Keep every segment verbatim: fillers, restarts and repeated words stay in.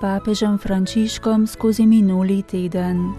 papežem Frančiškom skozi minuli teden.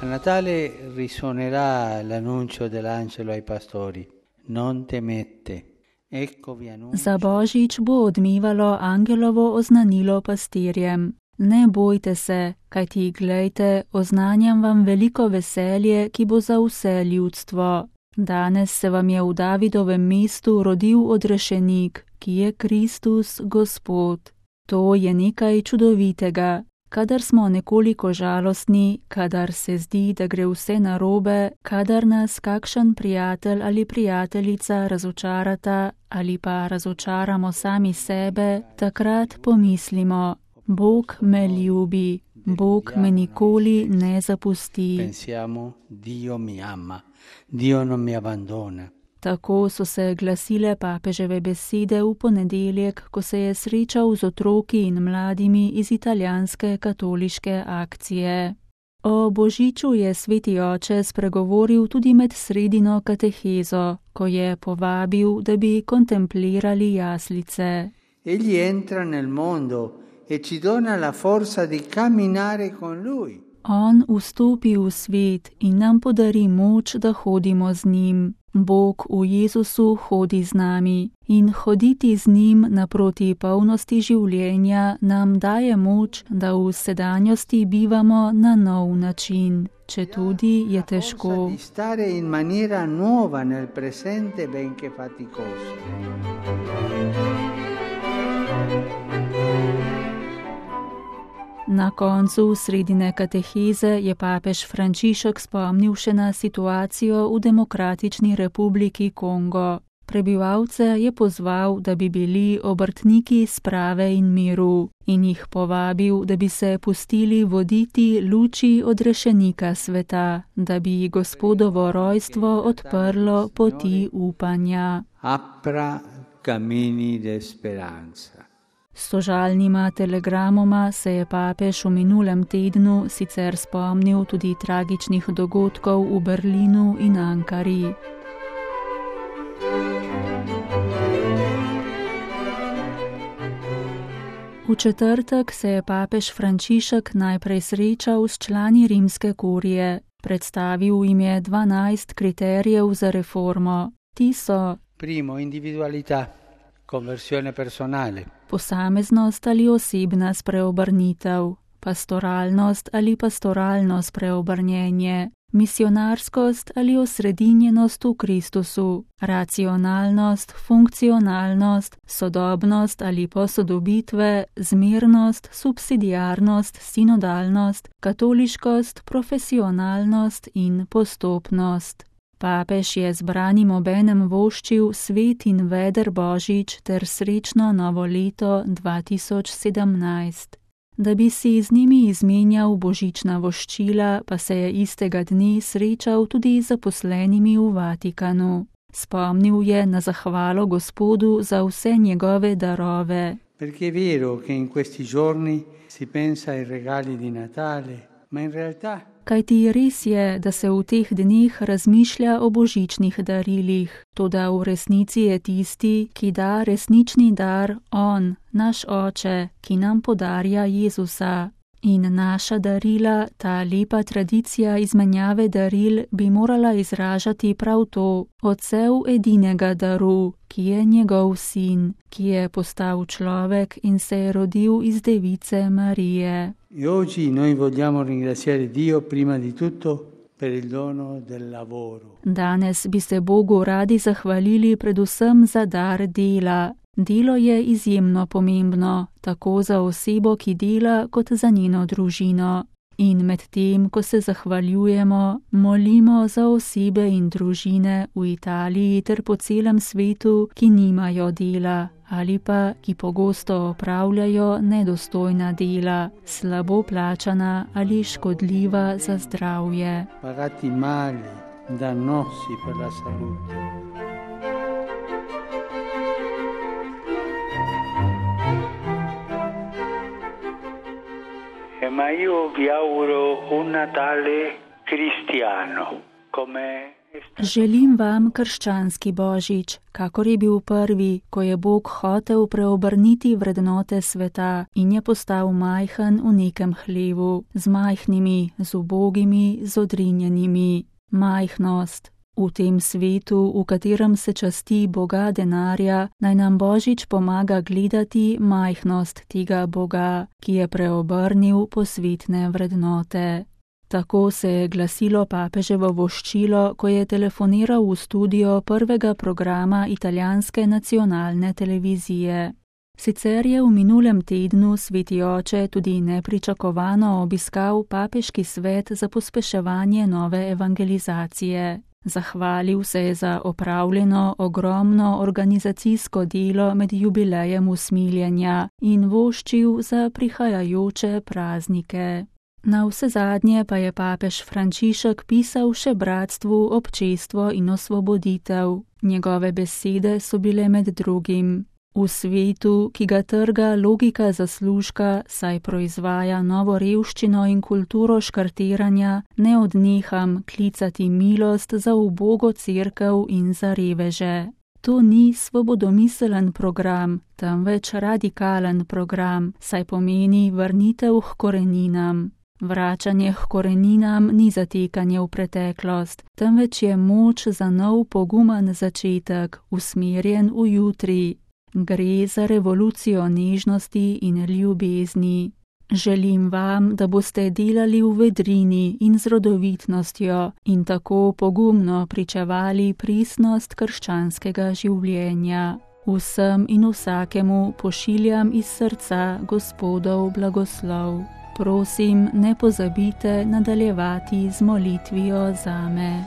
A Natale risuonerà l'annuncio dell'angelo ai pastori. Non temete. Ecco vi annuncio. Za Božič bo odmevalo angelovo oznanilo pastirjem. Ne bojte se, kajti glejte, oznanjam vam veliko veselje, ki bo za vse ljudstvo. Danes se vam je v Davidovem mestu rodil odrešenik, ki je Kristus Gospod. To je nekaj čudovitega. Kadar smo nekoliko žalostni, kadar se zdi, da gre vse narobe, kadar nas kakšen prijatelj ali prijateljica razočarata ali pa razočaramo sami sebe, takrat pomislimo, Bog me ljubi, Bog me nikoli ne zapusti. Pensiamo, Dio mi ama, Dio non mi abbandona. Tako so se glasile papeževe besede v ponedeljek, ko se je srečal z otroki in mladimi iz italijanske katoliške akcije. O Božiču je sveti oče spregovoril tudi med sredino katehezo, ko je povabil, da bi kontemplirali jaslice. Egli entra nel mondo e ci dona la forza di camminare con lui. On vstopi v svet in nam podari moč, da hodimo z njim. Bog v Jezusu hodi z nami in hoditi z njim naproti polnosti življenja nam daje moč, da v sedanjosti bivamo na nov način, če tudi je težko. Stare in maniera nuova nel presente benché faticoso. Na koncu sredine kateheze je papež Frančišek spomnil še na situacijo v Demokratični republiki Kongo. Prebivalce je pozval, da bi bili obrtniki sprave in miru in jih povabil, da bi se pustili voditi luči odrešenika sveta, da bi Gospodovo rojstvo odprlo poti upanja. Apra camini de speranza. S sožalnima telegramoma se je papež v minulem tednu sicer spomnil tudi tragičnih dogodkov v Berlinu in Ankari. V četrtek se je papež Frančišek najprej srečal s člani rimske kurije. Predstavil jim je dvanajst kriterijev za reformo. Ti so: Primo, individualità, conversione personale. Posameznost ali osebna spreobrnitev, pastoralnost ali pastoralno spreobrnjenje, misionarskost ali osredinjenost v Kristusu, racionalnost, funkcionalnost, sodobnost ali posodobitve, zmernost, subsidiarnost, sinodalnost, katoliškost, profesionalnost in postopnost. Papež je zbranim obenem voščil svet in veder Božič ter srečno novo leto dva tisoč sedemnajst. Da bi si z njimi izmenjal božična voščila, pa se je istega dne srečal tudi z zaposlenimi v Vatikanu. Spomnil je na zahvalo Gospodu za vse njegove darove. Perché è vero che in questi giorni si pensa ai regali di Natale, ma in realtà Kajti res je, da se v teh dneh razmišlja o božičnih darilih, toda v resnici je tisti, ki da resnični dar, on, naš oče, ki nam podarja Jezusa. In naša darila, ta lepa tradicija izmenjave daril, bi morala izražati prav to, Otcev edinega daru, ki je njegov sin, ki je postal človek in se je rodil iz device Marije. E oggi noi vogliamo ringraziare Dio prima di tutto per il dono del lavoro. Danes bi se Bogu radi zahvalili predvsem za dar dela. Delo je izjemno pomembno, tako za osebo, ki dela, kot za njeno družino. In med tem, ko se zahvaljujemo, molimo za osebe in družine v Italiji ter po celem svetu, ki nimajo dela ali pa ki pogosto opravljajo nedostojna dela, slabo plačana ali škodljiva za zdravje. Pagati male, dannosi per la salute. Ma io vi auguro un Natale cristiano, come Želim vam krščanski božič, kakor je bil prvi, ko je Bog hotel preobrniti vrednote sveta in je postal majhen v nekem hlevu, z majhnimi, z ubogimi, z odrinjenimi. Majhnost. V tem svetu, v katerem se časti Boga denarja, naj nam božič pomaga gledati majhnost tega Boga, ki je preobrnil posvetne vrednote. Tako se je glasilo papeževo voščilo, ko je telefoniral v studio prvega programa italijanske nacionalne televizije. Sicer je v minulem tednu sveti oče tudi nepričakovano obiskal papeški svet za pospeševanje nove evangelizacije. Zahvalil se je za opravljeno ogromno organizacijsko delo med jubilejem usmiljenja in voščil za prihajajoče praznike. Navsezadnje pa je papež Frančišek pisal še bratstvu občestvo in osvoboditev. Njegove besede so bile med drugim: v svetu, ki ga trga logika zaslužka, saj proizvaja novo revščino in kulturo škartiranja, ne odneham klicati milost za ubogo cerkev in za reveže. To ni svobodomiselen program, temveč radikalen program, saj pomeni vrnitev h koreninam. Vračanje h koreninam ni zatekanje v preteklost, temveč je moč za nov pogumen začetek, usmerjen v jutri. Gre za revolucijo nežnosti in ljubezni. Želim vam, da boste delali v vedrini in z rodovitnostjo in tako pogumno pričevali pristnost krščanskega življenja. Vsem in vsakemu pošiljam iz srca Gospodov blagoslov. Prosim, ne pozabite nadaljevati z molitvijo zame.